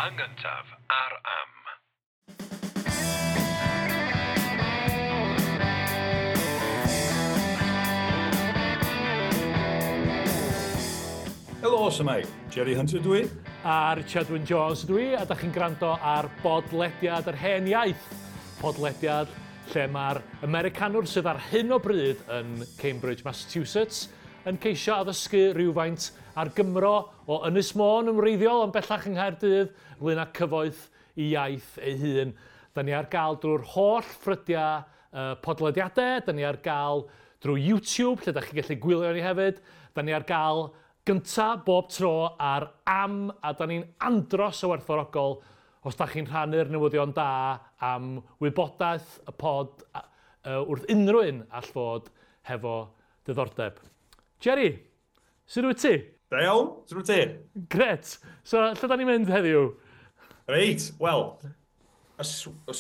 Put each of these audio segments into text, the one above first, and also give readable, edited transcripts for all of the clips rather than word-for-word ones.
Yn gyntaf ar Am. Helo, shwmae? Jerry Hunter dwi. A Richard Wyn Jones dwi, a da chi'n gwrando ar bodlediad yr hen iaith. Podlediad lle mae'r Americanwr sydd ar hyn o bryd yn Cambridge, Massachusetts, yn ceisio addysgu rhywfaint ar Gymro o Ynys Môn yn wreiddiol, ond bellach yng Nghaerdydd, ynglyn â cyfoeth i iaith ei hun. Da ni ar gael drwy'r holl ffrydiau podlediadau, da ni ar gael drwy YouTube, lle da chi'n gallu gwylio ni hefyd. Da ni ar gael gynta bob tro ar Am, a da ni'n andros o werthfawrogol os da chi'n rhannu'r newyddion da am wybodaeth y pod wrth unrhyw un all fod hefo diddordeb. Jerry, sut wyt ti? Da iawn, sut wyt ti? Gret. So, lle da ni'n mynd heddiw? Reit, wel, os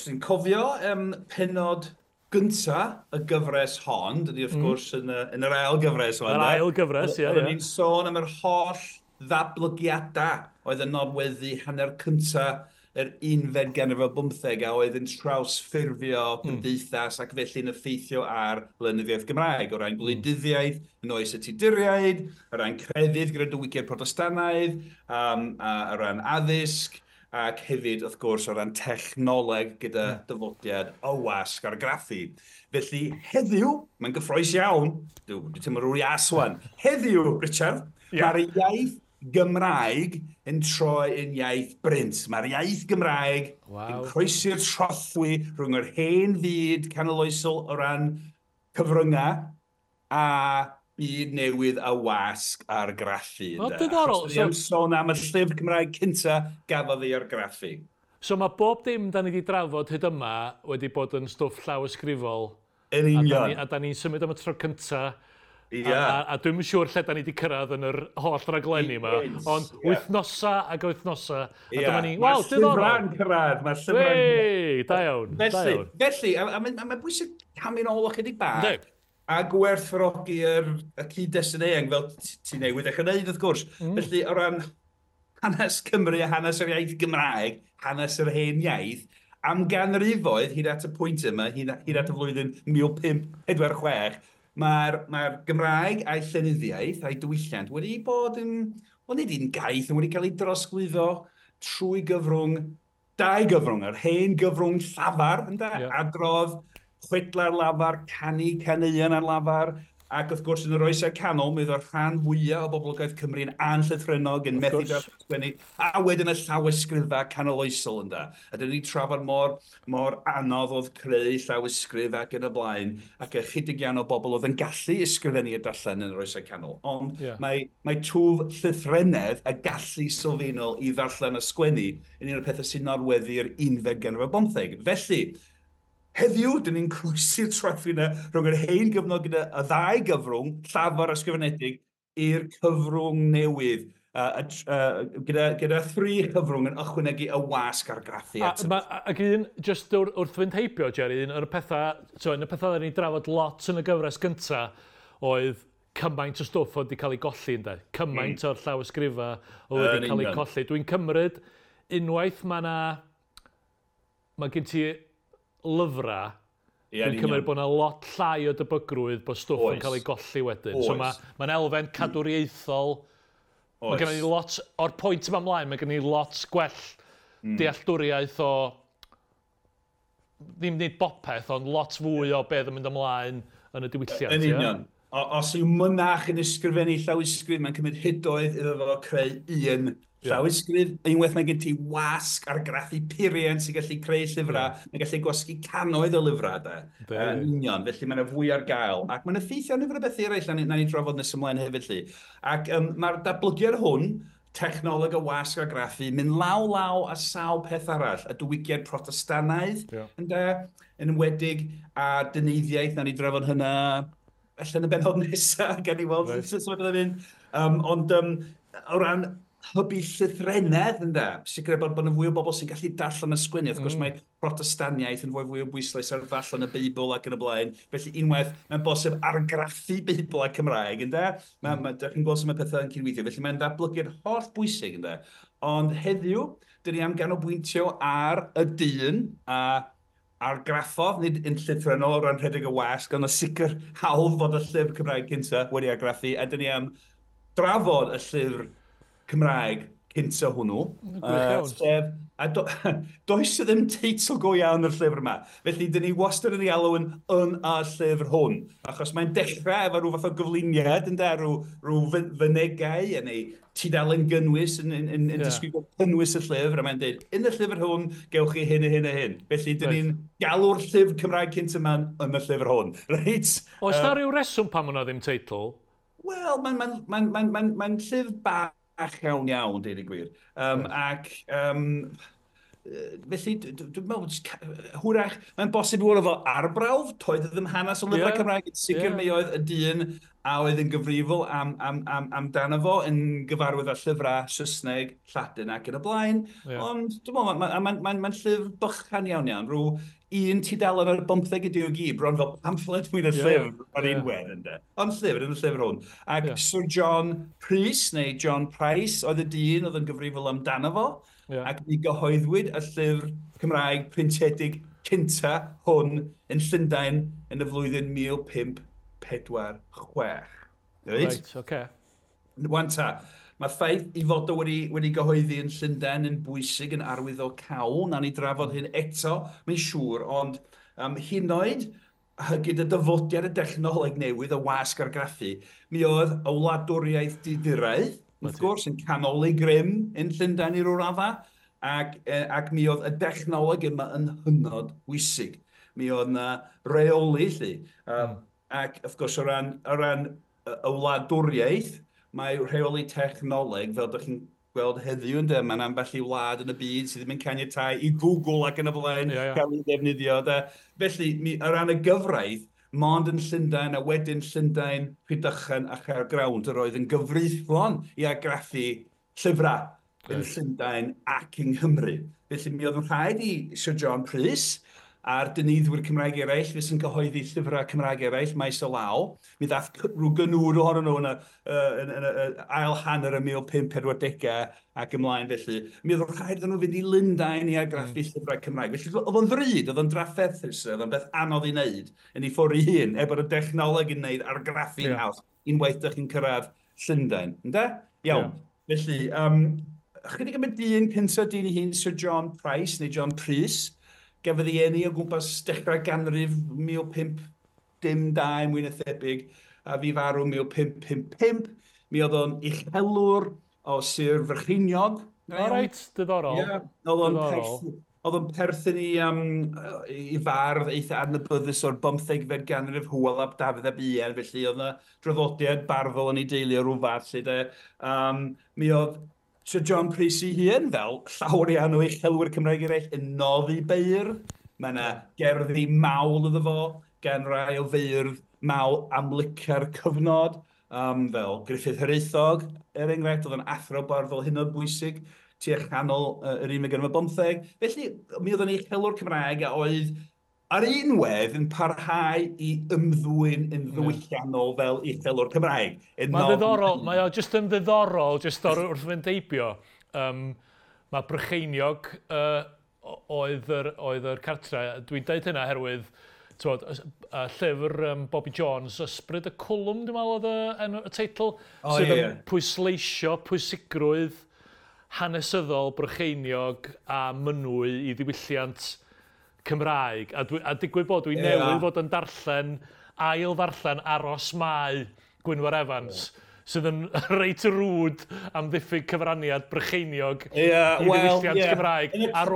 ti'n cofio penod gynta y gyfres hon, dydy wrth gwrs yn yr ail gyfres Yr ail gyfres, ie. Oedden ni'n sôn am yr holl ddatblygiadau oedd yn nodweddu hanner cynta yr unfed ganrif ar bymtheg a oedd yn trawsffurfio cymdeithas ac felly'n effeithio ar lenyddiaeth Gymraeg, o ran gwleidyddiaeth yn oes y Tuduriaid, o ran crefydd gyda diwygiad Protestannaidd, a o ran addysg, ac hefyd, wrth gwrs, o ran technoleg gyda dyfodiad y wasg argraffu. Felly, heddiw, mae'n gyffrous iawn, dwi'n teimlo rhyw ias wan, heddiw, Richard, mae'r iaith Gymraeg yn troi yn iaith brint. Mae'r iaith Gymraeg yn croesi'r trothwy rhwng yr hen fyd canoloesol o ran cyfryngau a byd newydd a wasg argraffu. O, diddorol. Achos so, sôn am y llyfr Cymraeg cynta gafodd ei argraffu. So mae bob dim da ni wedi drafod hyd yma wedi bod yn stwff llawysgrifol. Yn union. A da ni'n symud am y tro cynta. A dwi'm yn siŵr lle da ni wedi cyrraedd yn yr holl raglenni yma, ond wythnosa ac wythnosa, a dyma ni, wel, diddorol. Mae'r llyfrau'n cyrraedd, mae'r llyfrau'n cyrraedd. Da iawn, da iawn. Felly, a mae'n bwysig camu'n ôl ychydig bach, a gwerthfawrogi y cyd-destun eang, fel ti newydd eich gwneud, wrth gwrs. Felly, o ran hanes Cymru a hanes yr iaith Gymraeg, hanes yr hen iaith, am ganrifoedd, hyd at y pwynt yma, hyd at y flwyddyn 1546, mae'r Gymraeg a'i llenyddiaeth a'i diwylliant wedi bod yn, wel nid un gaeth, ond wedi cael ei drosglwyddo trwy gyfrwng, dau gyfrwng, yr hen gyfrwng llafar, ynde? Adrodd, chwedlau ar lafar, canu caneuon ar lafar, ac wrth gwrs yn yr oesau canol, mi oedd y rhan fwyaf o boblogaeth Cymru'n anllythrennog, yn methu darllen sgwennu, a wedyn y llawysgrifau canoloesol, ynde. A dyn ni'n trafod mor anodd oedd creu llawysgrif ac yn y blaen, ac ychydig iawn o bobl oedd yn gallu ysgrifennu a darllen yn yr oesau canol. Ond mae twf llythrennedd a gallu sylfaenol i ddarllen a sgwennu yn un o'r pethau sy'n nodweddu'r unfed ganrif ar bymtheg. Felly, heddiw, dyn ni'n croesi'r trothwy yna rhwng yr hen gyfnod gyda y ddau gyfrwng, llafar ysgrifenedig, i'r cyfrwng newydd, gyda thri chyfrwng yn ychwanegu y wasg argraffu ato. Ac un, just wrth fynd heibio, Jerry, un o'r pethau, so, un o'r pethau oedden ni'n drafod lot yn y gyfres gynta oedd cymaint o stwff oedd wedi cael ei golli, ynde? Cymaint o'r llawysgrifau oedd wedi cael ei colli. Dwi'n cymryd, unwaith mae gen ti lyfrau, dwi'n cymryd bod yna lot llai o debygrwydd bod stwff yn cael ei golli wedyn. So mae'n elfen cadwriaethol. Mae gen i lot, o'r pwynt yma ymlaen, mae gen i lot gwell dealltwriaeth o, ddim nid bopeth, ond lot fwy o beth yn mynd ymlaen yn y diwylliant. Yn union. Os yw mynach yn ysgrifennu llawysgrif, mae'n cymryd hydoedd iddo fo creu un llawysgrif. Unwaith mae gen ti wasg argraffu purian sy'n gallu creu llyfrau, mae'n gallu gwasgu cannoedd o lyfrau, de. Yn union, felly mae yna fwy ar gael. Ac mae'n effeithio ar nifer o bethau eraill, na ni drafod nes ymlaen hefyd, lly. Ac mae'r datblygiad hwn, technoleg y wasg argraffu, mynd law law a sawl peth arall, y diwygiad Protestannaidd, ynde, yn enwedig, a dyneiddiaeth, na ni drafod hynna allan y bennod nesaf, gan i weld sut mae pethau'n mynd. Ond o ran hybu llythrennedd, ynde? Sicrhau bod yna fwy o bobl sy'n gallu darllen y sgwennu. Wrth gwrs mae Protestaniaeth yn fwy o bwyslais ar ddarllen y Beibl ac yn y blaen. Felly unwaith mae'n bosib argraffu Beibl a Cymraeg, ynde? Dych chi'n gweld sut mae pethau yn cydweithio. Felly mae'n ddatblygu'r holl bwysig, ynde? Ond heddiw, dyn ni am ganolbwyntio ar y dyn a argraffodd, nid yn llythrennol o ran rhedeg y wasg, ond y sicr hawdd fod y llyfr Cymraeg cynta wedi argraffu, a dyn ni am drafod y llyfr Cymraeg cynta hwnnw. Sef, a does ddim teitl go iawn yr llyfr yma. Felly, dyn ni wastad yn ei alw yn y llyfr hwn. Achos mae'n dechrau efo rhyw fath o gyflwyniad, ynde, rhyw fynegau, neu tudalen gynnwys yn disgrifio cynnwys y llyfr, a mae'n dweud, yn y llyfr hwn, gewch chi hyn a hyn a hyn. Felly, dyn ni'n galw'r llyfr Cymraeg cynta yma yn y llyfr hwn. Reit? Oes na rhyw reswm pam hwnna ddim teitl? Wel, mae'n llyfr bach iawn iawn, deud y gwir. Ac felly, dwi'n meddwl, hwyrach, mae'n bosib i fod efo arbrawf, toedd ddim hanes o lyfrau Cymraeg, yn sicr mi oedd y dyn a oedd yn gyfrifol amdano fo, yn gyfarwydd â llyfrau Saesneg, Lladin ac yn y blaen. Ond dwi'n meddwl, mae'n llyfr bychan iawn iawn, rhyw un tudalen ar 15 ydi o gyd, bron fel pamffled mwy na llyfr ar un wedd, ynde. Ond llyfr, yn y llyfr hwn. Ac Sir John Prys, neu John Price, oedd y dyn oedd yn gyfrifol amdano fo, ac mi gyhoeddwyd y llyfr Cymraeg printiedig cynta hwn yn Llundain yn y flwyddyn 1546. Reit, oce. Wan ta, mae ffaith i fod o wedi gyhoeddi yn Llundain yn bwysig yn arwyddocaol. Nawn ni drafod hyn eto, mae'n siŵr, ond hyd yn oed gyda dyfodiad y dechnoleg newydd, y wasg argraffu, mi oedd y wladwriaeth Duduraidd, wrth gwrs, yn canoli grym yn Llundain i ryw raddau, ac mi oedd y dechnoleg yma yn hynod bwysig. Mi oedd yna reoli, lly. Ac, wrth gwrs, o ran y wladwriaeth, mae rheoli technoleg, fel ydych chi'n gweld heddiw, ynde, mae'n ambell i wlad yn y byd sydd ddim yn caniatáu i Google ac yn y blaen cael ei ddefnyddio. De. Felly, o ran y gyfraith, mond yn Llundain a wedyn Llundain, Rhydychen a Chaergrawnt yr oedd yn gyfreithlon i argraffu llyfrau yn Llundain ac yng Nghymru. Felly, mi oedd yn rhaid i Sir John Prys a'r dyneiddwyr Cymraeg eraill, fes yn cyhoeddi llyfrau Cymraeg eraill, maes o law. Mi ddath rhyw gynwr ohonyn nhw yn y ail hanner y 1540au ac ymlaen felly. Mi oedd rhaid iddyn nhw fynd i Lundain i argraffu llyfrau Cymraeg. Felly oedd o'n ddrud, oedd o'n drafferthus, oedd o'n beth anodd i wneud yn ei ffordd ei hun, er bod y dechnoleg yn wneud argraffu'n haws unwaith dych chi'n cyrraedd Llundain. Ynde? Iawn. Felly, chydig am y dyn cyntaf dyn ei hun, Sir John Price, neu John Prys, gafodd ei eni o gwmpas dechrau ganrif 1502 mwy na thebyg, a fi farw 1555. Mi oedd o'n uchelwr o Sir Frycheiniog. O reit, diddorol. Ie, oedd o'n perthyn i fardd eitha adnabyddus o'r 15fed ganrif, Hywel ap Dafydd ap Ian, felly oedd yna draddodiad barddol yn ei deulu o ryw fath, lle de. Mi oedd Sir John Prys ei hun, fel llawer iawn o uchelwyr Cymraeg eraill, yn noddi beirdd. Mae yna gerddi mawl iddo fo, gan rai o feirdd mawl amlyca'r cyfnod, fel Gruffydd Hiraethog, er enghraifft, oedd yn athro barddol hynod bwysig tua chanol yr unfed ganrif ar bymtheg. Felly, mi oedd yn uchelwr Cymraeg a oedd ar un wedd yn parhau i ymddwyn yn ddiwylliannol fel uchelwr Cymraeg. Mae'n ddiddorol, mae o jyst yn ddiddorol, jyst wrth fynd heibio. Mae Brycheiniog oedd yr cartre. Dwi'n deud hynna oherwydd, t'mod, y llyfr Bobi Jones, Ysbryd y Cwlwm, dwi'n meddwl oedd y teitl, sydd yn pwysleisio pwysigrwydd hanesyddol Brycheiniog a Mynwy i ddiwylliant Cymraeg. A digwydd bod dwi'n newydd fod yn darllen, ail ddarllen Aros Mae Gwynfor Evans, sydd yn reit rwd am ddiffyg cyfraniad Brycheiniog i ddiwylliant Cymraeg ar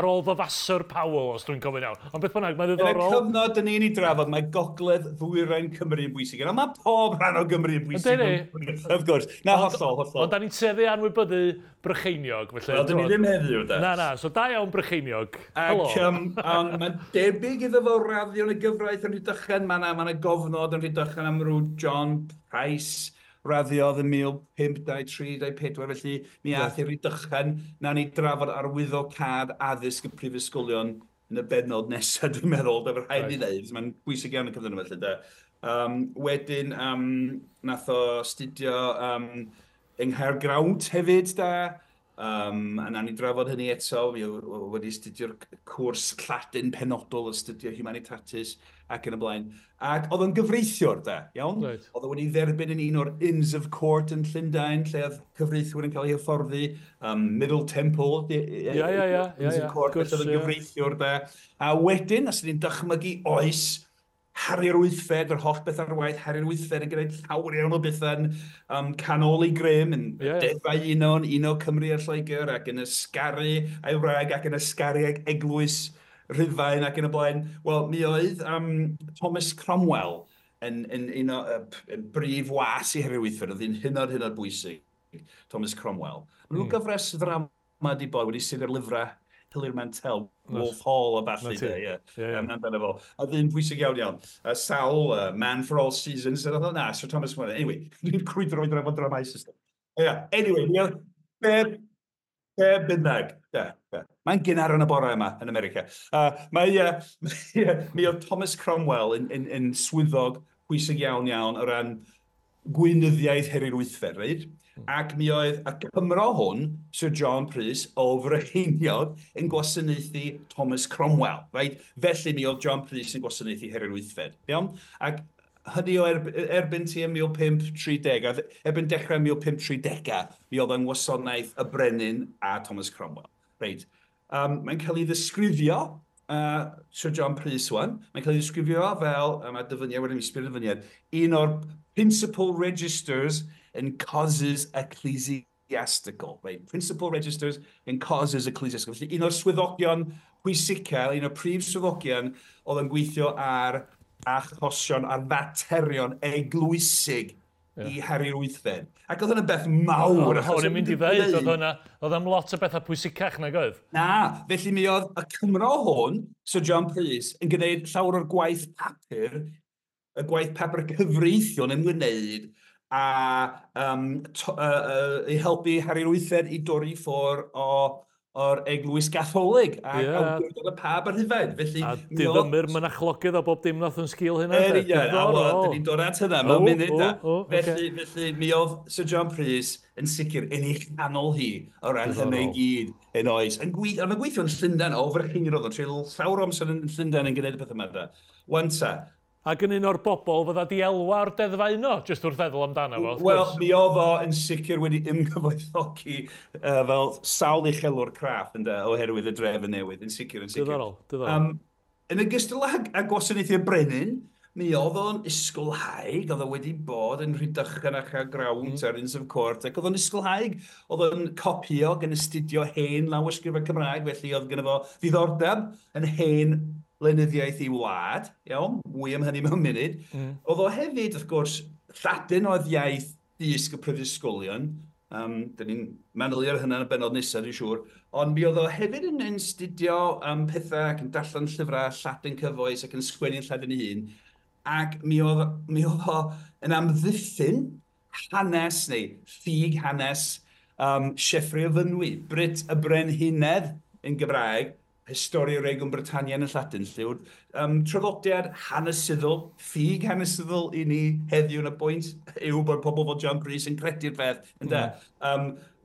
ôl Vavasor Powell, os dwi'n cofio'n iawn. Ond beth bynnag, mae'n ddiddorol. Yn y cyfnod dyn ni'n ei drafod, mae gogledd ddwyrain Cymru yn bwysig. Ond mae pob rhan o Gymru yn bwysig. Wrth gwrs. Na, hollol, hollol. Ond da ni'n tueddu anwybyddu Brycheiniog. Wel, dyn ni ddim heddiw, de. Na, so da iawn Brycheiniog. Ac mae'n debyg iddo fo raddio yn y gyfraith yn Rhydychen. Mae yna gofnod yn Rhydychen am ryw John Price, Raddiodd yn 1523, 24, felly mi ath i Rydychen. Nawn ni drafod arwyddocâd addysg y prifysgolion yn y bennod nesaf, dwi'n meddwl, da, rhaid ni ddeud, mae'n bwysig iawn y cyfnod yma, felly, da. Wedyn, nath o astudio yng Nghaergrawnt hefyd, da. A nawn ni drafod hynny eto. Mi oedd wedi astudio'r cwrs Lladin penodol, astudio Humanitatis ac yn y blaen. Ac oedd o'n gyfreithiwr, da, iawn? Oedd o wedi dderbyn yn un o'r Inns of Court yn Llundain, lle oedd cyfreithwyr yn cael eu hyfforddi. Middle Temple, Inns of Court, felly oedd o'n gyfreithiwr, da. A wedyn, os ni'n dychmygu oes Harri'r Wythfed, yr holl beth ar waith, Harri'r Wythfed yn gwneud llawer iawn o bethau'n canol ei grym, yn deddfau uno, yn uno Cymru a Lloegr, ac yn ysgaru a'i wraig, ac yn ysgaru ag eglwys Rhufain ac yn y blaen. Wel, mi oedd Thomas Cromwell yn un o yn brif was i Harri'r Wythfed, oedd hi'n hynod, hynod bwysig, Thomas Cromwell. Mae nhw gyfres ddrama di bod wedi sydd ar lyfrau Hilary Mantel, Wolf Hall a ballu, de, ie. Amdano fo. A ddyn pwysig iawn iawn. Sawl, Man for All Seasons, a na, Sir Thomas Cromwell. Anyway, dwi'n crwydro i drafod dramau system. Yeah. Anyway, mi oedd be bynnag. Yeah. Mae'n gynnar yn y bore yma yn America. Mi oedd Thomas Cromwell yn swyddog pwysig iawn iawn o ran gweinyddiaeth Harri'r Wythfed, reit? Ac mi oedd y Cymro hwn, Sir John Prys, o Frycheiniog, yn gwasanaethu Thomas Cromwell, right? Felly mi oedd John Prys yn gwasanaethu Harri'r Wythfed, iawn? Ac hynny o erbyn tua 1530, a erbyn dechrau 1530, mi oedd yn gwasanaeth y brenin a Thomas Cromwell. Reit. Mae'n cael ei ddisgrifio, Sir John Prys wan, mae'n cael ei ddisgrifio fel, mae dyfyniad wedyn mi sbio'r dyfyniad, un o'r principal registers in causes ecclesiastical. Right? Principal registers in causes ecclesiastical. Felly un o'r swyddogion pwysica, un o'r prif swyddogion oedd yn gweithio ar achosion, ar faterion eglwysig i Harri'r Wythfed. Ac oedd hwnna'n beth mawr. O'n i'n mynd i ddeud, oedd hwnna, oedd am lot o bethau pwysicach nag oedd? Na, felly mi oedd y Cymro hwn, Sir John Prys, yn gwneud llawer o'r gwaith papur, y gwaith papur cyfreithiol yn ymwneud a i helpu Harri'r Wythfed i dorri ffwrdd o'r Eglwys Gatholig a awdurdod y Pab ar Rhufain. Felly, a diddymu'r mynachlogydd o bob dim nath yn sgil hynna. Yn union, a wel, dyn ni'n dod at hynna mewn munud. Felly, mi oedd Sir John Prys yn sicr yn ei chanol hi o ran hynny i gyd yn oes. Yn gweithio yn Llundain, o Frycheiniog oedd o'n treulio llawer o amser yn Llundain yn gwneud y peth yma. Wan ta. Ac yn un o'r bobl fydda di elwa o'r deddfau uno, jyst wrth feddwl amdano fo, wrth Wel, gwrs. mi oedd o yn sicr wedi ymgyfoethogi fel sawl uchelwr craff, ynde, oherwydd y drefn newydd, yn sicr, yn sicr. Diddorol, diddorol. Yn ogystal â gwasanaethu'r brenin, mi oedd o'n ysgolhaig, oedd o wedi bod yn Rhydychen a Chaergrawnt ar Inns of Court, ac oedd o'n ysgolhaig, oedd o'n copio gan astudio hen lawysgrifau Cymraeg, felly oedd gynno fo ddiddordeb yn hen lenyddiaeth i wlad, iawn, mwy am hynny mewn munud. Oedd o hefyd, wrth gwrs, Lladin oedd iaith dysg y prifysgolion. Dyn ni'n manylu ar hynna yn y bennod nesaf, dwi'n siŵr. Ond mi oedd o hefyd yn astudio pethau ac yn darllen llyfrau Lladin cyfoes ac yn sgwennu'n Lladin ei hun. Ac mi oedd o yn amddiffyn hanes neu ffug hanes Sieffre o Fynwy, Brut y Brenhinedd yn Gymraeg, Historia Regum Britannia yn y Lladin, lle yw'r traddodiad hanesyddol, ffug hanesyddol i ni heddiw yn y pwynt yw bod pobl fel John Prys yn credu'r peth, ynde?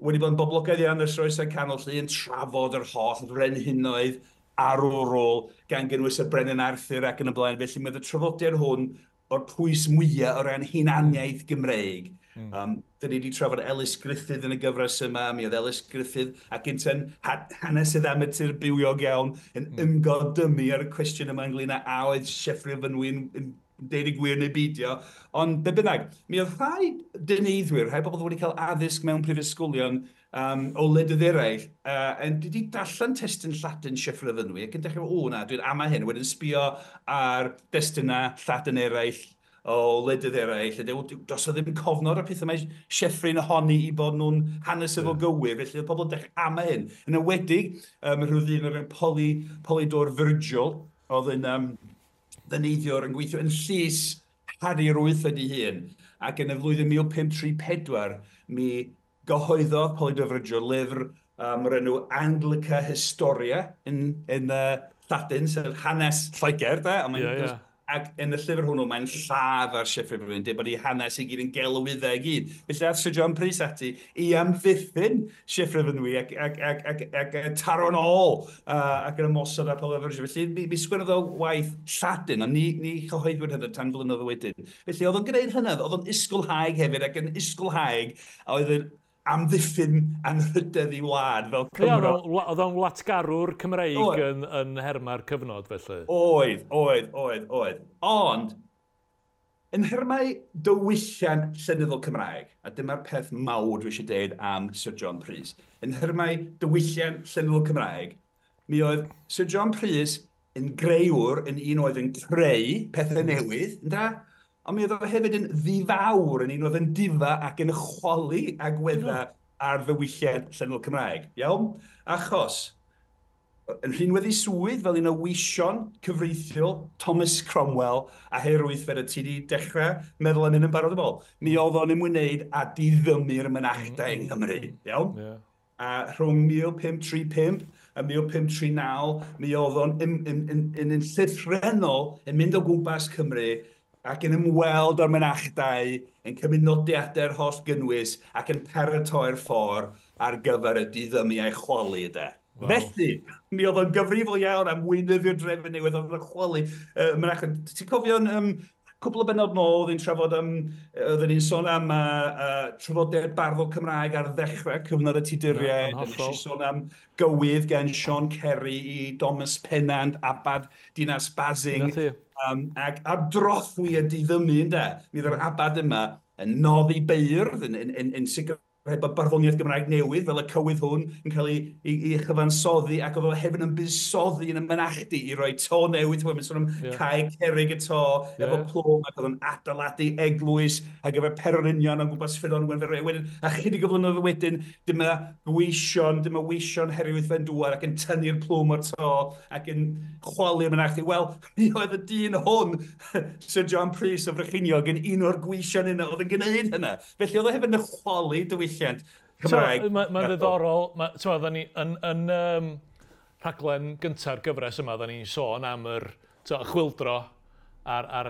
Wedi bod yn boblogaidd iawn ers oesau canol lle yn trafod yr holl frenhinoedd arwrol gan gynnwys y Brenin Arthur ac yn y blaen. Felly mae y traddodiad hwn o'r pwys mwyaf o ran hunaniaeth Gymreig. Dyn ni wedi trafod Elis Gruffydd yn y gyfres yma, mi oedd Elis Gruffydd ac ynte'n hanesydd amatur bywiog iawn yn ymgodymu ar y cwestiwn yma ynglyn â a oedd Sieffre o Fynwy yn deud y gwir neu beidio. Ond be bynnag, mi oedd rhai dyneiddwyr, rhai bobl wedi cael addysg mewn prifysgolion o wledydd eraill, yn wedi darllen testun Lladin Sieffre o Fynwy ac yn dechrau, o na, dwi'n ama hyn, wedyn sbio ar destunau Lladin eraill o wledydd eraill, a deud, does o ddim cofnod o'r pethau mae Sieffre'n honni i bod nhw'n hanesyddol gywir, felly oedd pobl yn dechrau ama hyn. Yn enwedig, rhyw ddyn o'r enw Polydor Virgil, oedd yn ddyneiddiwr yn gweithio yn llys Harri'r Wythfed ei hun. Ac yn y flwyddyn 1534, mi gyhoeddodd Polydor Virgil lyfr o'r enw Anglica Historia yn Lladin, sef hanes Lloegr, de? Ond yeah. Ac yn y llyfr hwnnw, mae'n lladd ar Sieffre Fynwy, dweud bod ei hanes i gyd yn gelwyddau i gyd. Felly aeth Sir John Prys ati i amddiffyn Sieffre Fynwy ac taro'n ôl ac yn ymosod ar Paul Virgil. Felly mi sgwennodd o waith Lladin, ond ni chyhoeddwyd hynny tan flynyddoedd wedyn. Felly oedd o'n gwneud hynny, oedd o'n ysgolhaig hefyd, ac yn ysgolhaig a oedd yn amddiffyn anrhydedd i wlad fel Cymro. Oedd o'n wlatgarwr Cymreig yn herma'r cyfnod, felly? Oedd. Ond, yn nhermau diwylliant llenyddol Cymraeg, a dyma'r peth mawr dwi eisiau deud am Sir John Prys, yn nhermau diwylliant llenyddol Cymraeg, mi oedd Sir John Prys yn greuwr, yn un oedd yn creu pethau newydd, ynda? Ond mi oedd o hefyd yn ddifawr, yn un oedd yn difa ac yn chwalu agweddau ar ddiwylliant llenyddol Cymraeg. Iawn? Achos, yn rhinwedd ei swydd fel un o weision cyfreithiol Thomas Cromwell a Harri'r Wythfed, ti wedi dechrau meddwl am hyn yn barod yn ôl. Mi oedd o'n ymwneud â diddymu'r mynachdai yng Nghymru. Iawn? Yeah. A rhwng 1535 a 1539, mi oedd o'n yn llythrennol yn mynd o gwmpas Cymru ac yn ymweld â'r mynachdai, yn cymryd nodiadau'r holl gynnwys ac yn paratoi'r ffordd ar gyfer y diddymu a'i chwalu, de. Wow. Felly, mi oedd o'n gyfrifol iawn am weinyddu'r drefn newydd, oedd o'n chwalu mynachdai. Ti'n cofio'n cwpl o bennod nôl, oedd ni'n trafod am, oedden ni'n sôn am trafodaeth barddol Cymraeg ar ddechrau cyfnod y Tuduriaid. Nes i sôn am gywydd gan Sean Kerry i Thomas Pennant, Abad Dinas Basing. Ac ar drothwy y diddymu, ynde, mi oedd yr abad yma yn noddi beirdd, yn sicrhau bod barddoniaeth Gymraeg newydd fel y cywydd hwn yn cael ei chyfansoddi, ac oedd o hefyd yn buddsoddi yn y mynachdy i roi to newydd, mae'n sôn am cae cerrig y to, efo plwm, ac oedd o'n adeiladu eglwys ar gyfer pererinion o gwmpas Ffynnon Wenferwy. Wedyn, a chydig o flynyddoedd wedyn, dyma weision Harri Wythfed dŵad ac yn tynnu'r plwm o'r to ac yn chwalu'r mynachdy. Wel, mi oedd y dyn hwn, Sir John Prys o Frycheiniog, yn un o'r gweision yna oedd yn gwneud hynna. Felly oedd o hefyd yn chwalu diwylliant Cymraeg. Mae'n ddiddorol, oedden ni yn rhaglen gynta'r gyfres yma, oedden ni'n sôn am yr chwyldro mae'r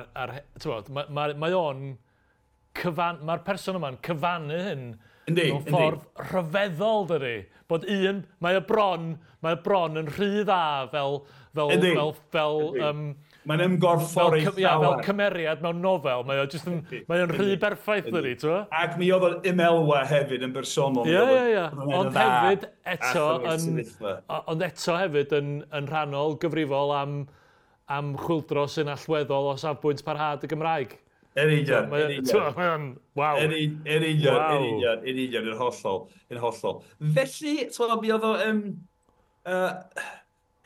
person yma'n cyfannu hyn mewn ffordd rhyfeddol, dydi? Bod un, mae y bron yn rhy dda fel mae'n ymgorffori llawer. Fel cymeriad mewn nofel, mae o'n rhy berffaith, dydi, ti'n? Ac mi oedd o'n ymelwa hefyd yn bersonol. Ie. Ond hefyd eto hefyd yn rhannol gyfrifol am chwyldro sy'n allweddol o safbwynt parhad y Gymraeg. Yn union. Waw. Yn union, yn hollol. Felly, mi oedd o...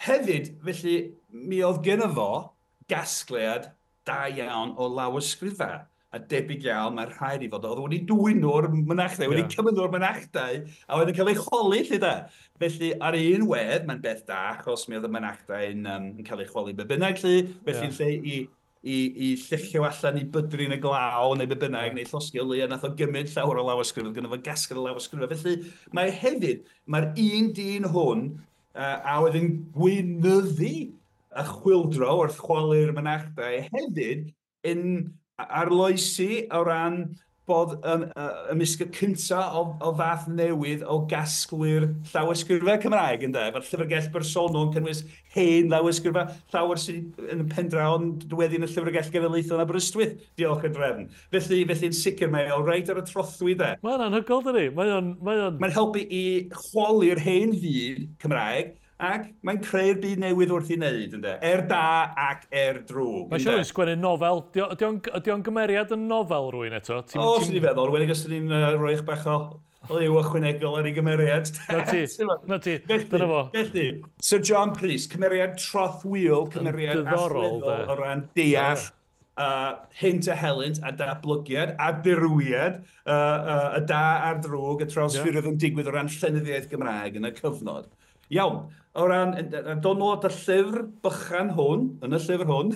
hefyd, felly, mi oedd gynno fo gasgliad da iawn o lawysgrifau. A debyg iawn, mae'n rhaid i fod, oedd wedi dwyn nhw'r mynachdai, wedi cymryd nhw'r mynachdai, a wedi cael ei chwalu, lle da. Felly, ar un wedd, mae'n beth da, achos mi oedd y mynachdai'n cael ei chwalu be bynnag, lle, felly lle i lluchio allan i bydru yn y glaw, neu be bynnag, neu llosgi o leia, nath o gymryd llawer o lawysgrifau, gynno fo gasgliad o lawysgrifau. Felly, mae hefyd, mae'r un dyn hwn, a oedd yn gweinyddu y chwyldro wrth chwalu'r mynachdai hefyd yn arloesi o ran bod ymysg y cyntaf o fath newydd o gasglu'r llawysgrifau Cymraeg, ynde? Efo'r llyfrgell bersonol yn cynnwys hen lawysgrifau, llawer sydd yn y pendraw yn diweddu yn y Llyfrgell Genedlaethol yn Aberystwyth, diolch i'r drefn. Felly yn sicr mae o reit ar y trothwy, de. Mae'n anhygoel, dydi? Mae'n helpu i chwalu'r hen fyd Cymraeg, ac mae'n creu'r byd newydd wrth i wneud, ynde? Er da ac er drwg. Mae'n siŵr yn sgwennu nofel. Ydy o'n gymeriad yn nofel rwy'n eto? O, sy'n i feddwl. Wedi os ni'n rhoi eich bach o liw ychwanegol ar ei gymeriad. Na ti, dyna fo. Felly, Sir John Prys, cymeriad trothwyol, cymeriad allweddol o ran deall hynt a helynt a datblygiad a dirywiad, y da a'r drwg, y trawsffurfiodd yn digwydd o ran llenyddiaeth Gymraeg yn y cyfnod. Iawn, o ran, dod nôl at y llyfr bychan hwn, yn y llyfr hwn,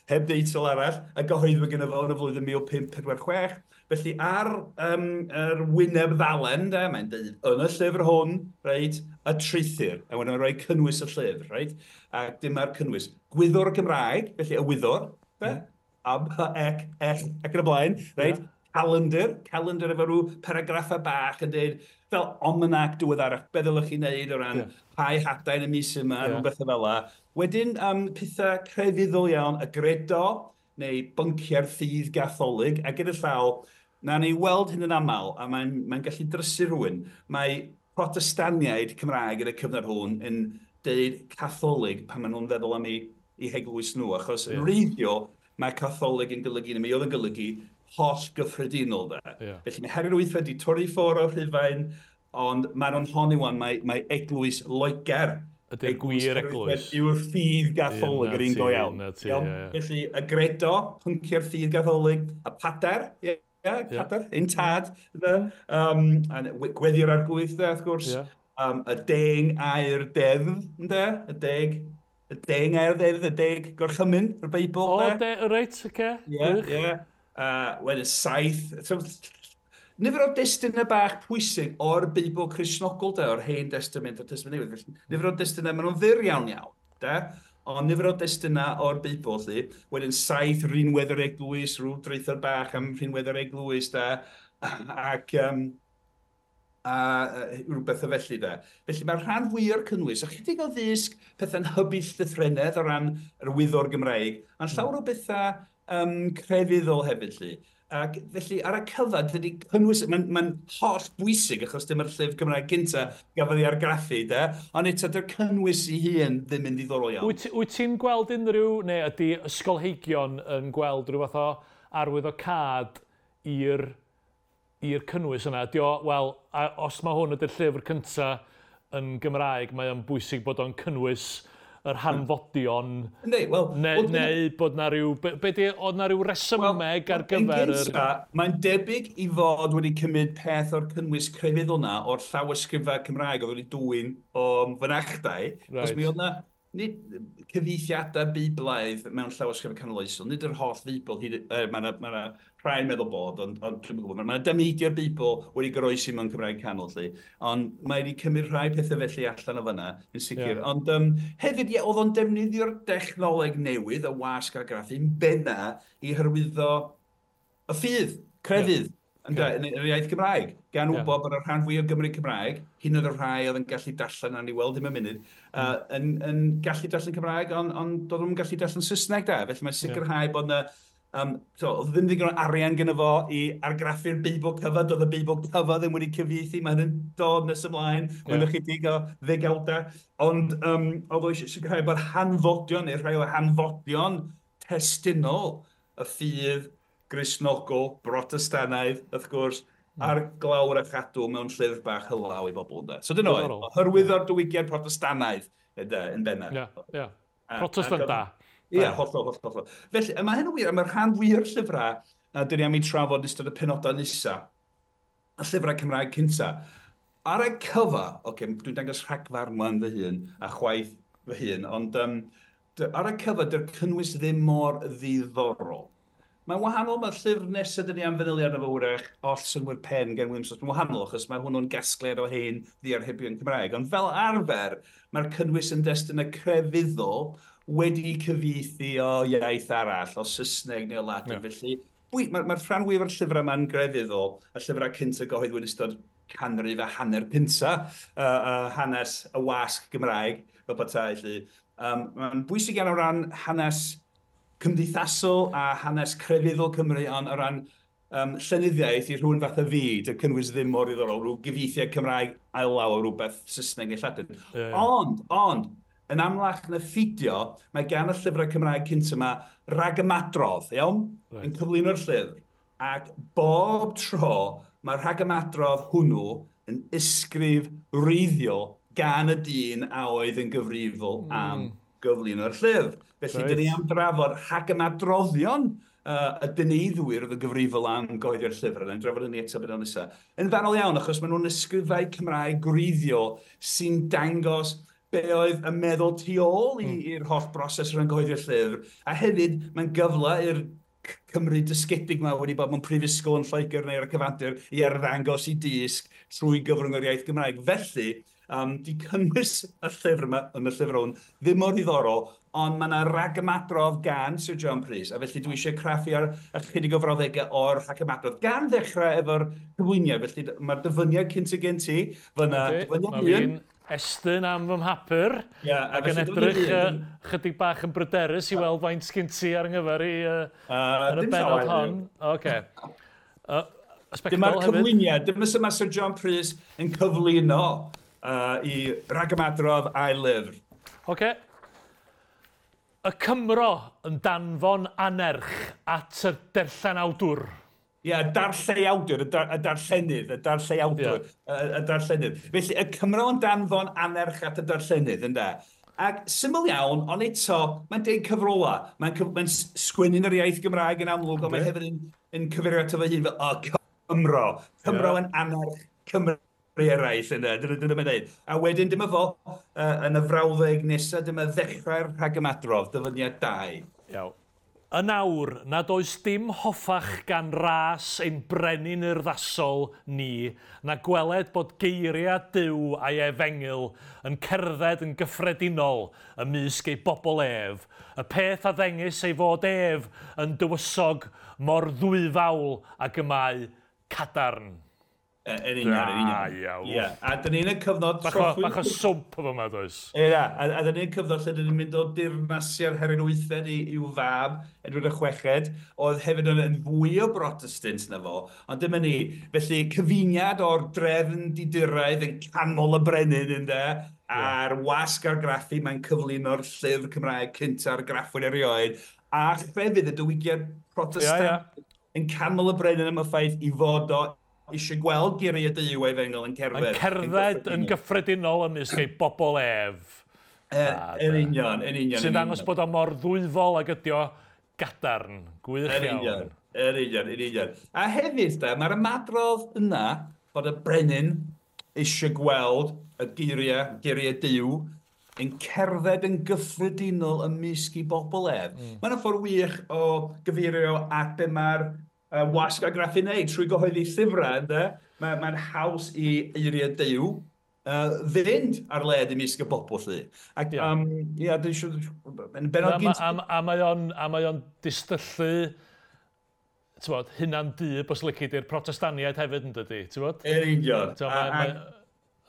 heb deitl arall, a gyhoeddwyd gynno fo yn y flwyddyn 1546, Felly ar yr wyneb ddalen, de, mae'n dweud yn y llyfr hwn, reit, y treithir, a wedyn mae'n rhoi cynnwys y llyfr, reit? A dyma'r cynnwys. Gwyddor y Gymraeg, felly y wyddor, de? A, B, E, L, ac yn y blaen, reit? Yeah. Calendar efo rhyw paragraffau bach yn dweud, fel almanac diweddarach, be ddylech chi wneud o ran rhai hadau yn y mis yma, rhywbeth fel 'la. Wedyn, pethau crefyddol iawn, y gredo, neu bynciau'r ffydd gatholig, a gyda llaw, na ni weld hyn yn aml, a mae'n gallu drysu rhywun. Mae Protestaniaid Cymraeg yn y cyfnod hwn yn deud catholig pan maen nhw'n feddwl am eu heglwys nhw, achos yn wreiddiol mae catholig yn golygu, neu mi oedd yn golygu, holl gyffredinol. De. Yeah. Felly mae Harri'r Wythfed wedi torri ffwrdd o'r Rhufain, ond maen nhw'n honni wan, mae Eglwys Loegr ydy'r gwir eglwys. Yw'r ffydd gatholig yr un go iawn. Felly y gredo, pynciau'r ffydd gatholig, y pader, pader, un tad, gweddi'r arglwydd, wrth gwrs, y 10 air deddf, y 10 air deddf, y 10 gorchymyn, yr Beibl. O, reit, oce. Ie. Wedyn 7, nifer o destunau bach pwysig o'r Beibl Cristnogol, de, o'r Hen Testament a'r Testament Newydd. Felly, nifer o destunau, maen nhw'n fyr iawn iawn, de, ond nifer o destunau o'r Beibl, lly. Wedyn 7 rhinwedd yr eglwys, rhyw draethod bach am rhinwedd yr eglwys, de, ac a rhywbeth o felly, de. Felly mae'r rhan fwy o'r cynnwys, ychydig o ddysg pethau'n hybu llythrennedd o ran yr wyddor Gymraeg, ond llawer o bethau crefyddol hefyd, lly. Ac felly ar y cyfan, dydy cynnwys, mae'n holl bwysig achos dyma'r llyfr Cymraeg cynta gafodd ei argraffu, de, ond eto dy'r cynnwys ei hun ddim yn ddiddorol iawn. Wyt ti'n gweld unrhyw, neu ydy ysgolheigion yn gweld rhyw fath o arwyddocâd i'r cynnwys yna? Ydy o, wel, os mae hwn ydy'r llyfr cynta yn Gymraeg, mae o'n bwysig bod o'n cynnwys yr hanfodion, neu bod na rhyw, oedd na rhyw resymeg ar gyfer yr... Mae'n debyg i fod wedi cymryd peth o'r cynnwys crefyddol na o'r llawysgrifau Cymraeg oedd wedi dwyn o fynachdai, os mi oedd na nid cyfieithiadau Beiblaidd mewn llawysgrifau canoloesol, nid yr holl Feibl, mae yna rhai'n meddwl bod, ond dwi'm yn gwybod, mae yna dameidiau'r Beibl wedi goroesi mewn Cymraeg canol, lly, ond mae wedi cymryd rhai pethau felly allan o fyna, yn sicr. Yeah. Ond hefyd, ie, oedd o'n defnyddio'r dechnoleg newydd, y wasg argraffu, yn benna i hyrwyddo y ffydd, crefydd, yn yr iaith Gymraeg, gan wybod bod y rhan fwy o Gymry Cymraeg, hyn oedd y rhai oedd yn gallu darllen, a ni weld ddim yn munud, yn gallu darllen Cymraeg, ond doedd nhw'n gallu darllen Saesneg da, felly mae'n sicrhau bod yna oedd ddim ddigon o arian gyda fo i argraffu'r Beibl cyfa, doedd y Beibl cyfa ddim wedi cyfieithu, mae hynny'n dod nes ymlaen, mewn ychydig o ddegawdau, ond oedd o eisiau sicrhau bod hanfodion, neu rhai o hanfodion testunol y ffydd Gristnogol, Brotestanaidd, wrth gwrs, ar glawr a chadw mewn llyfr bach hylaw i bobl. So dyna oedd, hyrwyddo'r diwygiad Protestanaidd yn bennaf. Ie, Protestant da. Ie, hollol, hollol. Felly, mae hyn yn wir, a mae'r rhan fwy o'r llyfrau, dyn ni am ei trafod yn ystod y penodau nesaf, y llyfrau Cymraeg cynta. Ar y cyfa, oce, dwi'n dangos rhagfarn wan fy hun, a chwaith fy hun, ond ar y cyfa, dy'r cynnwys ddim mor ddiddorol. Mae'n wahanol, mae'r llyfr nesaf dyn ni am fanylu arno fo wrach, Oll Synnwyr Pen gan William Jones, mae'n wahanol achos mae hwnnw'n gasgliad o hen ddiarhebion Cymraeg. Ond fel arfer, mae'r cynnwys yn destun y crefyddol wedi cyfieithu o iaith arall, o Saesneg neu o Ladin. Felly, mae'r rhan fwyaf o'r llyfrau yma'n grefyddol, y llyfrau cynta gyhoeddwyd yn ystod canrif a hanner cynta, hanes y wasg Gymraeg, fel petai, felly. Mae'n bwysig iawn o ran hanes cymdeithasol a hanes crefyddol Cymru, ond o ran llenyddiaeth i rhywun fath o fi, dy cynnwys ddim mor ddiddorol, rhyw gyfieithiad Cymraeg ail-law o rhywbeth Saesneg neu Lladin. Ond, yn amlach na ffidio, mae gan y llyfrau Cymraeg cynt yma rhagymadrodd, iawn? Yn cyflwyno'r llyfr. Ac bob tro mae'r rhagymadrodd hwnnw yn ysgrif wreiddiol gan y dyn a oedd yn gyfrifol am gyflwyno'r llyfr. Felly, dyn ni am drafod rhagymadroddion y dyneiddwyr oedd yn gyfrifol am gyhoeddi'r llyfr, yna, drafod hynny eto beth nesaf. Yn fanol iawn, achos maen nhw'n ysgrifau Cymraeg gwreiddiol sy'n dangos be oedd y meddwl tu ôl i'r holl broses o ran gyhoeddi'r llyfr. A hefyd, mae'n gyfle i'r Cymru dysgedig yma wedi bod mewn prifysgol yn Lloegr neu ar y cyfandir i arddangos i dysg trwy gyfrwng yr iaith Gymraeg. Felly, di cynnwys y llyfr yma, yn y llyfr hwn, ddim mor ddiddorol, ond mae yna ragymadrodd gan Sir John Prys, a felly dwi eisiau craffu ar ychydig o frawddegau o'r rhagymadrodd, gan ddechrau efo'r cyflwyniad. Felly mae'r dyfyniad cyntaf gen ti, fyna dyfyniad un. Estyn am fy mhapur, yeah, ac yn edrych chydig bach yn bryderus i weld faint sgyn ti ar ynghyfer i yn y bennod hon. Okay. Dyma'r cyflwyniad, dyma sy'n mae Sir John Prys yn cyflwyno i ragymadrodd a'i lyfr. Oce. Y Cymro yn danfon anerch at y darllenawdwr. Ie, yeah, darlleiawdwr, y darllenydd, y darlleiawdwr, yeah. Y darllenydd. Felly, y Cymro yn danfon anerch at y darllenydd, ynde? Ac syml iawn, ond eto, mae'n deud cyfrola. Mae'n mae sgwennu'n yr iaith Gymraeg yn amlwg, okay. Ond mae hefyd yn cyfeirio ato fe hun fel, o, Cymro. Cymro yn anerch Cymru eraill, ynde? Dyna mae'n deud. A wedyn, dyma fo, yn y frawddeg nesaf, dyma ddechrau'r rhagymadrodd, dyfyniad 2. Iawn. Yn awr, nad oes dim hoffach gan ras ein brenin urddasol ni, na gweled bod geiriau Duw a'i efengyl yn cerdded yn gyffredinol ymysg ei bobl ef, y peth a ddengys ei fod ef yn dywysog mor ddwyfawl ag y mae cadarn. Yn union, yn union. Iawn. Yeah. A dyn ni'n y cyfnod... Bach o swmp efo yma, does? Ie, a dyn ni'n cyfnod lle dyn ni'n mynd o dirnasiad Harri'r Wythfed i'w fab, Edward y Chweched, oedd hefyd yn fwy o Brotestant na fo, ond dyma ni. Felly, cyfuniad o'r drefn diduraidd yn canol y brenin, ynde, a'r wasg argraffu, mae'n cyflwyno'r llyfr Cymraeg cynta argraffwyd erioed, a chrefydd y diwygiad Protestant yn canol y brenin am y ffaith i fod o eisiau gweld geiriau Duw a'i efengyl yn cerdded. Yn cerdded yn gyffredinol ymysg ei bobl ef. Yn union, yn union. Sy'n dangos bod o mor ddwyfol ag ydi o gadarn. Gwych iawn. Yn union, yn union. A hefyd, da, mae'r ymadrodd yna bod y brenin eisiau gweld y geiriau Duw yn cerdded yn gyffredinol ymysg ei bobl ef. Mae'n ffordd wych o gyfeirio at be mae'r wasg argraffu wneud trwy gyhoeddi llyfrau, ynde? Mae'n haws i eiriau Duw fynd ar led ymysg y bobl, lly. Ac, ie, dwi'n siŵr... A mae o'n distyllu, ti'n hunan dyb, os lici di'r Protestaniaid hefyd, yn dydi, ti'n bod? Yn union.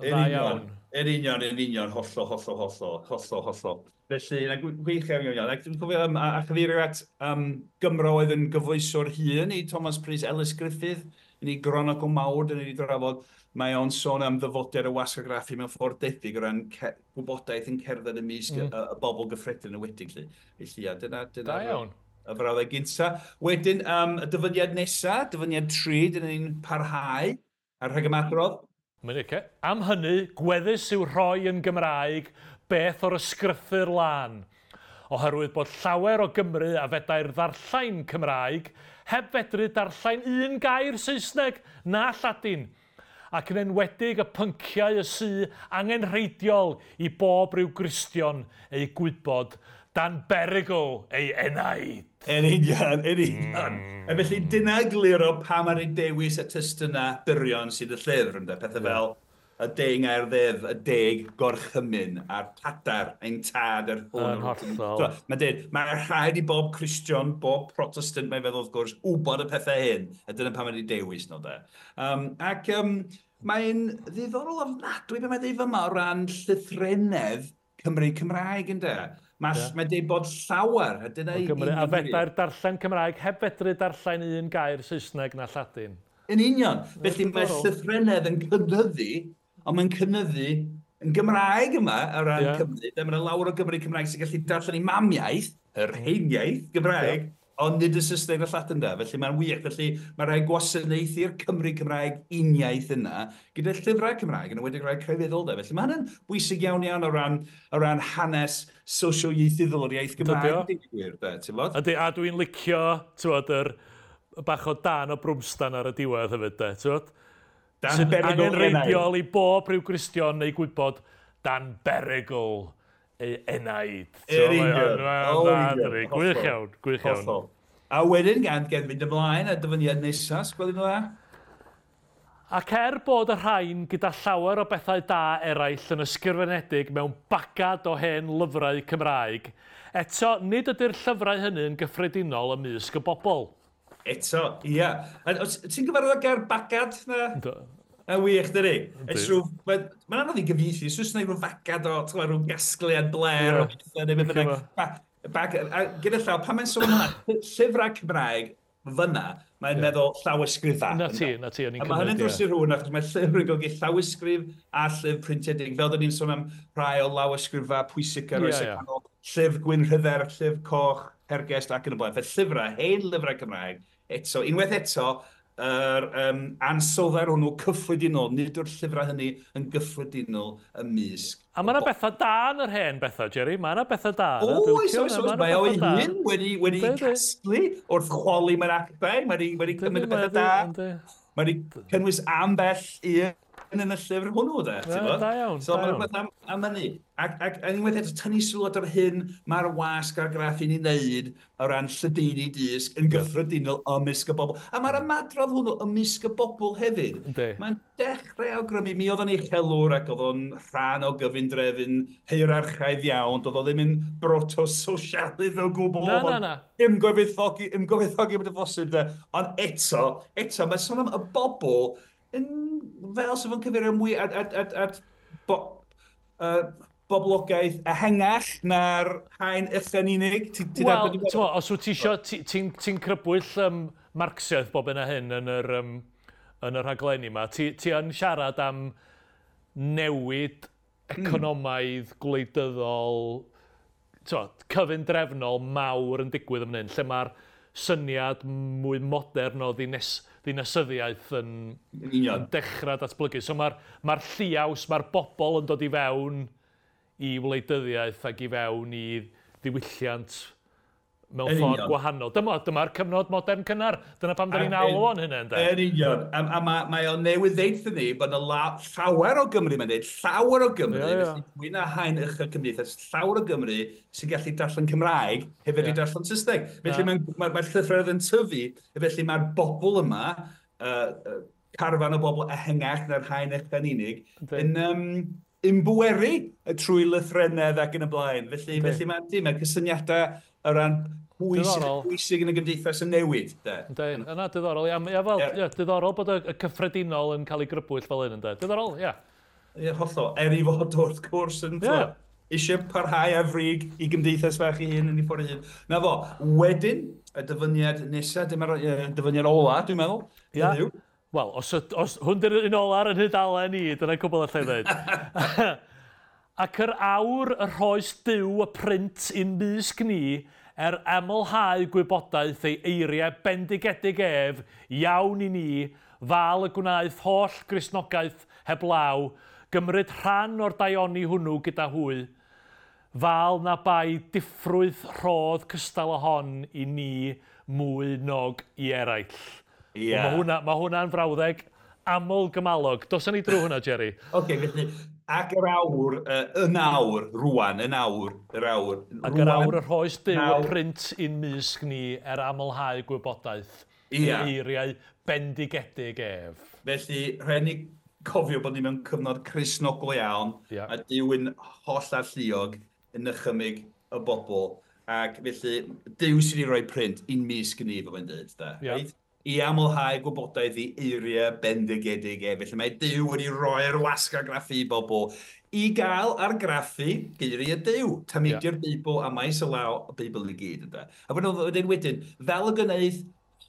Yn union, yn union, yn union, hollol, hollol, hollol, hollol, hollol. Felly, na gwych iawn, iawn. Ac dwi'n cofio a chyfeirio at Gymro oedd yn gyfoeswr hŷn i Thomas Prys, Ellis Griffith, yn ei gronogl mawr, dyn ni wedi drafod. Mae o'n sôn am ddyfodiad y wasg argraffu mewn ffordd debyg o ran gwybodaeth yn cerdded ymysg y bobl gyffredin yn wedig. Felly, ia, dyna da iawn. Y frawddeg gynta. Wedyn, y dyfyniad nesa, dyfyniad 3, dyna ni'n parhau ar rhagymadrodd. Mae'n oce. Am hynny, gweddus yw rhoi yn Gymraeg beth o'r ysgrythur lân, oherwydd bod llawer o Gymru a fedai'r ddarllen Cymraeg heb fedru darllen un gair Saesneg na Lladin, ac yn enwedig y pynciau y sy angenrheidiol i bob rhyw Gristion eu gwybod dan berygl ei enaid. Yn union, yn union. A felly dyna gliro pam ar ei dewis y testynau byrion sydd y llyfr, ynde? Pethau fel y 10 air ddeddf, y 10 gorchymyn, a'r padar, ein tad, yr hwn. Yn hollol. Mae'n dweud, mae rhaid i bob Cristion, bob Protestant, mae'n feddwl wrth gwrs, wybod y pethau hyn. A dyna pam wedi dewis nhw, de. Ac mae'n ddiddorol ofnadwy be mae'n dweud yma o ran llythrennedd Cymru Cymraeg, ynde? Mae'n dweud bod llawer, a dyna i... A fedai'r darllen Cymraeg heb fedru darllen un gair Saesneg na Lladin. Yn union. Felly mae llythrennedd yn cynyddu, ond mae'n cynyddu yn Gymraeg yma o ran Cymru. Mae yna lawer o Gymru Cymraeg sy'n gallu darllen ei mamiaith, yr heiniaith Gymraeg, ond nid y Saesneg na Lladin da. Felly mae'n wych. Felly mae rhaid gwasanaethu'r Cymru Cymraeg uniaith yna gyda llyfrau Cymraeg, yn enwedig rhai crefyddol da. Felly mae hynny'n bwysig iawn iawn o ran hanes sosioieithyddol o'r iaith Gymraeg. Ydy, a dwi'n licio, ti'n bod, yr bach o dan o brwmstan ar y diwedd hefyd, de, ti'n bod? Dan berygl angenrheidiol i bob rhyw Gristion neu gwybod dan berygl ei enaid. Yn union. Gwych iawn, gwych iawn. A wedyn, gan fynd ymlaen a dyfyniad nesaf, gwelwn nhw dda. Ac bod y rhain gyda llawer o bethau da eraill yn ysgrifenedig mewn bagad o hen lyfrau Cymraeg, eto nid ydy'r llyfrau hynny yn gyffredinol ymysg y bobl. Eto, ia. Ti'n gyfarwydd â'r gair bagad? Na? Yndw. Na wych, dydi? Mae'n anodd i gyfieithu, Saesneg rhyw fagad o, ti'n rhyw gasgliad bler o bethau, neu beth bynnag. A gyda llaw, pan mae'n sôn hwnna, llyfrau Cymraeg fyna, mae'n meddwl llawysgrifau. Na ti, o'n i'n cymryd. A mae hynny'n drws i rhywun, achos mae llyfr yn golygu llawysgrif a llyfr printiedig. Fel dyn ni'n sôn am rhai o lawysgrifau pwysig ar oes y canol, llyfr Gwyn Rhydderch, llyfr Coch, Hergest ac yn y blaen. Fel llyfrau, hen lyfrau Cymraeg, eto, unwaith eto, yr ansoddair hwnnw cyffredinol, nid yw'r llyfrau hynny yn gyffredinol ymysg. A mae yna bethau da yn yr hen bethau, Jerry. Mae yna bethau da. Oes, oes, oes. Mae o'i hun wedi casglu wrth chwalu mewn actau. Mae wedi cymryd y bethau da. Mae wedi cynnwys ambell un yn y llyfr hwnnw, de. Da iawn. So mae'n rhywbeth am hynny. Ac unwaith eto, tynnu sylw at yr hyn mae'r wasg argraffu'n ei wneud o ran lledaenu dysg yn gyffredinol ymysg y bobl. A mae'r ymadrodd hwnnw ymysg y bobl hefyd. Mae'n dechrau awgrymu, mi oedd o'n uchelwr ac oedd o'n rhan o gyfundrefn hierarchaidd iawn. Doedd o ddim yn proto-sosialydd o gwbl. Na. Ymgyfoethogi bod y bosib, de. Ond eto, mae'n sôn am y bobl yn fel sef yn cyfeirio mwy at boblogaeth ehangach na'r haen ucha'n unig? Wel, os wyt ti isio, ti'n crybwyll Marxiaeth bob hyn a hyn yn yr rhaglenni yma, ti yn siarad am newid economaidd, gwleidyddol, cyfundrefnol mawr yn digwydd yn hyn, lle mae'r syniad mwy modern o ddinasyddiaeth yn dechrau datblygu. So mae'r lliaws, mae'r bobl yn dod i fewn i wleidyddiaeth ac i fewn i ddiwylliant mewn ffordd gwahanol. Dyma'r cyfnod modern cynnar. Dyna pam da ni'n alw o'n hynny, ynde? Yn union. A mae o'n newydd ddeud ni bod yna llawer o Gymru, mae'n dweud, llawer o Gymru, felly mwy na haen uchel cymdeithas, llawer o Gymru sy'n gallu darllen Cymraeg hefyd i darllen Saesneg. Felly mae'r llythrennedd yn tyfu, felly mae'r bobl yma, carfan o bobl ehangach na'r haen uchel yn unig, yn ymbweru trwy lythrennedd ac yn y blaen. Felly mae cysyniadau o ran pwy sy'n bwysig yn y gymdeithas yn newid. Yna, diddorol. Ia, diddorol bod y cyffredinol yn cael ei grybwyll fel hyn, ynddo. Diddorol, ia. Ie, hollol. Er i fod wrth gwrs yn eisiau parhau ar frig i gymdeithas fach ei hun yn ei ffordd ei hun. Na fo, wedyn, y dyfyniad nesaf, dyma'r dyfyniad ola, dwi'n meddwl. Ia. Wel, os hwn di'r un ola ar yn hydalen i, dyna cwbl allai ddweud. Ac yr awr y rhoes Duw y print i'n mysg ni amlhau gwybodaeth ei eiriau bendigedig ef, iawn i ni, fal y gwnaeth holl Gristnogaeth heblaw, gymryd rhan o'r daioni hwnnw gyda hwy, fal na bai diffrwyth rhodd cystal o hon i ni mwy nog i eraill. Yeah. Mae hwnna'n frawddeg aml gymalog. Dos ni drwy hwnna, Jerry. Oce, felly, ac yr awr, yn awr, rwan, yn awr, yr awr. Ac yr awr y rhoes Duw y print i'n mysg ni amlhau gwybodaeth. Ia. Eiriau bendigedig ef. Felly, rhaid ni cofio bod ni mewn cyfnod Cristnogol iawn, a Duw yn holl alluog yn nychymyg y bobl. Ac felly, Duw sydd wedi rhoi print i'n mysg ni, fel mae'n dweud, da. Yeah. I amlhau gwybodaeth i eiriau bendigedig ef. Felly mae Duw wedi roi'r wasg argraffu i bobl i gael argraffu geiriau Duw, tameidiau'r Beibl a maes y law y Beibl i gyd. Ynde? A wedyn, fel y gwneud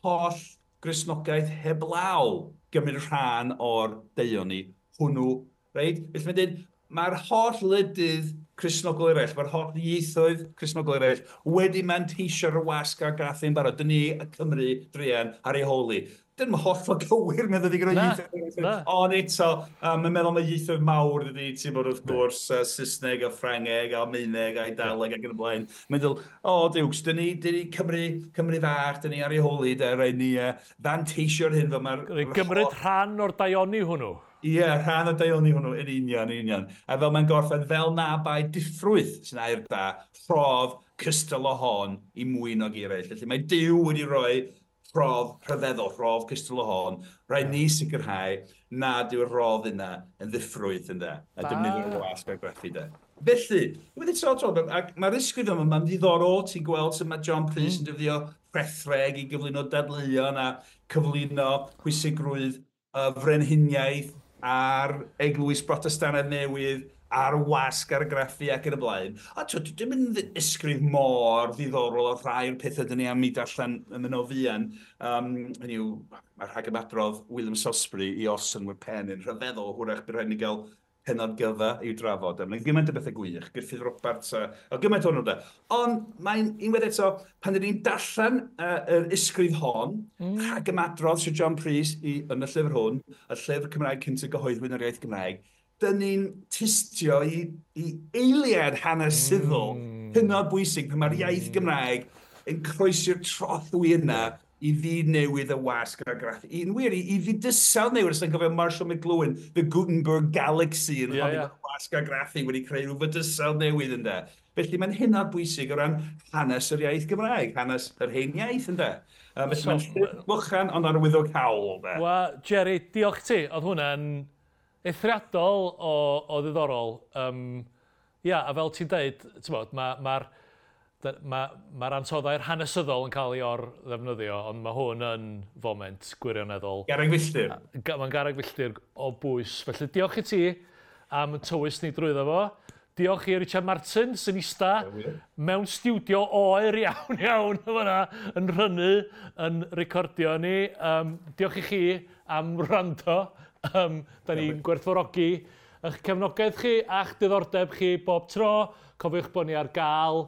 holl Gristnogaeth heblaw gymryd rhan o'r daioni hwnnw. Reit? Felly mae'n dweud, mae'r holl wledydd Cristnogol eraill, mae'r holl ieithoedd Cristnogol eraill wedi manteisio'r wasg argraffu'n barod. Dyn ni, y Cymru, druan, ar ei holi. Dyn nhw'n hollol gywir, meddwl i gyda ieithoedd. Ond eto, mae'n meddwl mae ieithoedd mawr ydy, ti'n bod wrth gwrs, Saesneg a Ffrangeg a Almaeneg a Eidaleg ac yn y blaen. Mae'n dweud, o, diwcs, dyn ni Cymru fach, dyn ni ar ei holi, de, rhaid ni fanteisio'r hyn fel mae'r... Gymryd rhan o'r daioni hwnnw. Ie, rhan o daioni hwnnw, yn union, yn union. A fel mae'n gorffen, fel na bai diffrwyth, sy'n air da, rhodd cystal o hon i mwy nag eraill. Felly mae Duw wedi rhoi rhodd rhyfeddol, rhodd cystal o hon. Rhaid ni sicrhau nad yw'r rhodd yna yn ddiffrwyth ynde, a defnyddio'r wasg argraffu de. Felly, wedi tro tro, ac mae'r ysgrif yma, mae'n ddiddorol, ti'n gweld sut mae John Prys yn defnyddio rhethreg i gyflwyno dadleuon a cyflwyno pwysigrwydd y frenhiniaeth a'r eglwys Brotestannaidd newydd, a'r wasg argraffu ac yn y blaen. A twyd, dim yn ysgrif mor ddiddorol o rhai o'r pethau dyn ni am i darllen yn mynd o fuan. Hynny yw, mae'r rhagymadrodd William Salisbury i Os yn Pen yn rhyfeddol, hwrach bydd rhaid ni gael pennod gyfa i'w drafod. Mae'n gymaint o bethau gwych, Gruffydd Roberts a gymaint o'n nhw. Ond mae'n unwaith eto, pan dyn ni'n darllen yr ysgrif hon, rhagymadrodd Sir John Prys yn y llyfr hwn, y llyfr Cymraeg cyntaf gyhoeddwyd yn yr iaith Gymraeg, dyn ni'n tystio i eiliad hanesyddol hynod bwysig pan mae'r iaith Gymraeg yn croesi'r trothwy yna i fyd newydd y wasg argraffu. Yn wir, i fydysawd newydd, os ti'n cofio Marshall McLuhan, The Gutenberg Galaxy, yn honni bod wasg argraffu wedi creu rhyw fydysawd newydd ynde. Felly mae'n hynod bwysig o ran hanes yr iaith Gymraeg, hanes yr hen iaith ynde. Felly mae'n llyfr bychan ond arwyddocaol de. Wel, Jerry, diolch ti. Oedd hwnna'n eithriadol o ddiddorol. Ia, a fel ti'n deud, ti'n mae'r ma ansoddair hanesyddol yn cael ei or-ddefnyddio, ond mae hwn yn foment gwirioneddol. Garreg filltir. Mae'n garreg filltir o bwys. Felly diolch i ti am tywys ni drwyddo fo. Diolch i Richard Martin sy'n ista mewn stiwdio oer iawn iawn fyna yn rhynnu, yn recordio ni. Diolch i chi am wrando. Da ni'n gwerthfawrogi eich cefnogaeth chi a'ch diddordeb chi bob tro. Cofiwch bod ni ar gael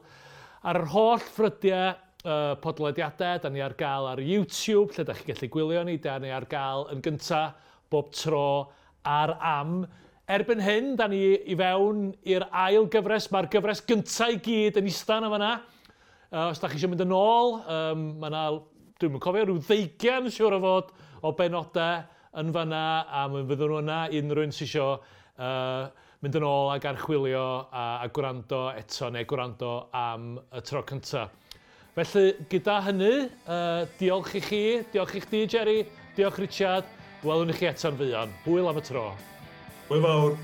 ar yr holl ffrydiau podlediadau. Da ni ar gael ar YouTube, lle da chi gallu gwylio ni. Da ni ar gael yn gynta bob tro ar Am. Erbyn hyn, da ni i fewn i'r ail gyfres. Mae'r gyfres gynta i gyd yn ista yna fan'na. Os da chi eisiau mynd yn ôl, mae yna, dwi'm yn cofio, rhyw 20 siŵr o fod o benodau yn fan'na, a mi fyddwn nhw yna i unrhyw un sy'n isio mynd yn ôl ac archwilio a gwrando eto neu gwrando am y tro cynta. Felly, gyda hynny, diolch i chi, diolch i chdi, Jerry, diolch Richard, welwn i chi eto'n fuan. Hwyl am y tro. Hwyl fawr.